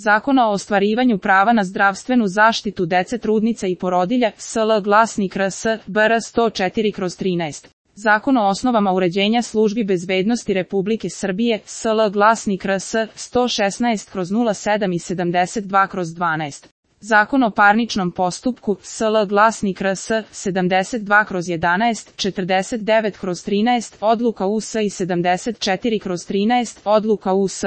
Zakona o ostvarivanju prava na zdravstvenu zaštitu dece, trudnica i porodilja, SL Glasnik RS, BR 104/13. Zakon o osnovama uređenja službi bezbednosti Republike Srbije, SL Glasnik RS, 116/07 i 72/12. Zakon o parničnom postupku, SL Glasnik RS, 72/11, 49/13, odluka US i 74/13, odluka US.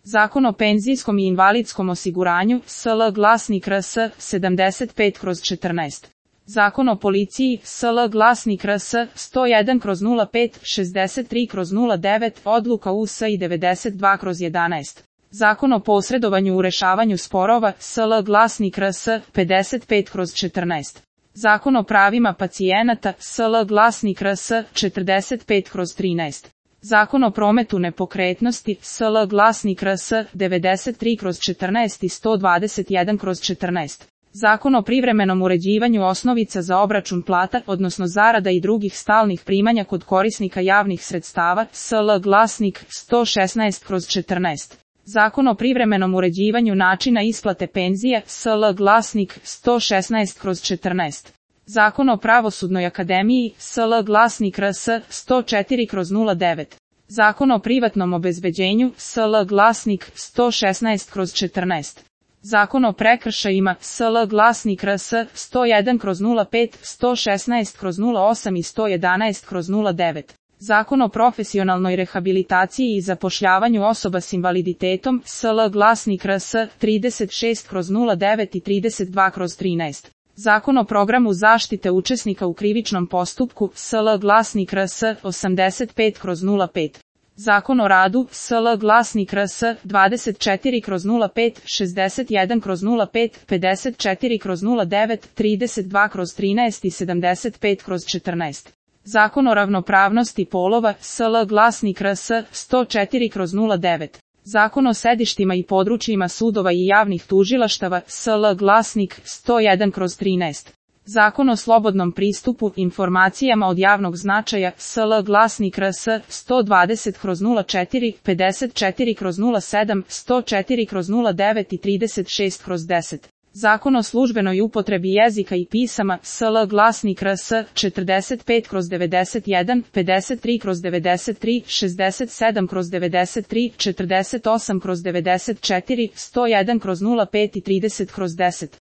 Zakon o penzijskom i invalidskom osiguranju, SL Glasnik RS, 75/14. Zakon o policiji, SL Glasnik RS, 101/05, 63/09, odluka US i 92/11. Zakon o posredovanju u rešavanju sporova, SL Glasnik RS, 55/14. Zakon o pravima pacijenata, SL Glasnik RS, 45/13. Zakon o prometu nepokretnosti, SL Glasnik RS, 93/14 i 121/14. Zakon o privremenom uređivanju osnovica za obračun plata, odnosno zarada i drugih stalnih primanja kod korisnika javnih sredstava, SL Glasnik, 116/14. Zakon o privremenom uređivanju načina isplate penzija, SL Glasnik, 116/14. Zakon o pravosudnoj akademiji, SL Glasnik RS, 104/09. Zakon o privatnom obezbeđenju, SL Glasnik, 116/14. Zakon o prekršajima, SL Glasnik RS, 101/05, 116/08 i 111/09. Zakon o profesionalnoj rehabilitaciji i zapošljavanju osoba s invaliditetom, SL Glasnik RS, 36/09 i 32/13. Zakon o programu zaštite učesnika u krivičnom postupku, SL Glasnik RS, 85/05. Zakon o radu, SL Glasnik RS, 24/05, 61/05, 54/09, 32/13 i 75/14. Zakon o ravnopravnosti polova, SL Glasnik RS, 104/09. Zakon o sedištima i područjima sudova i javnih tužilaštava, SL Glasnik, 101/13. Zakon o slobodnom pristupu informacijama od javnog značaja, SL Glasnik RS, 120/04, 54/07, 104/09 i 36/10. Zakon o službenoj upotrebi jezika i pisama, SL Glasnik RS, 45/91, 53/93, 67/93, 48/94, 101/05 i 30/10.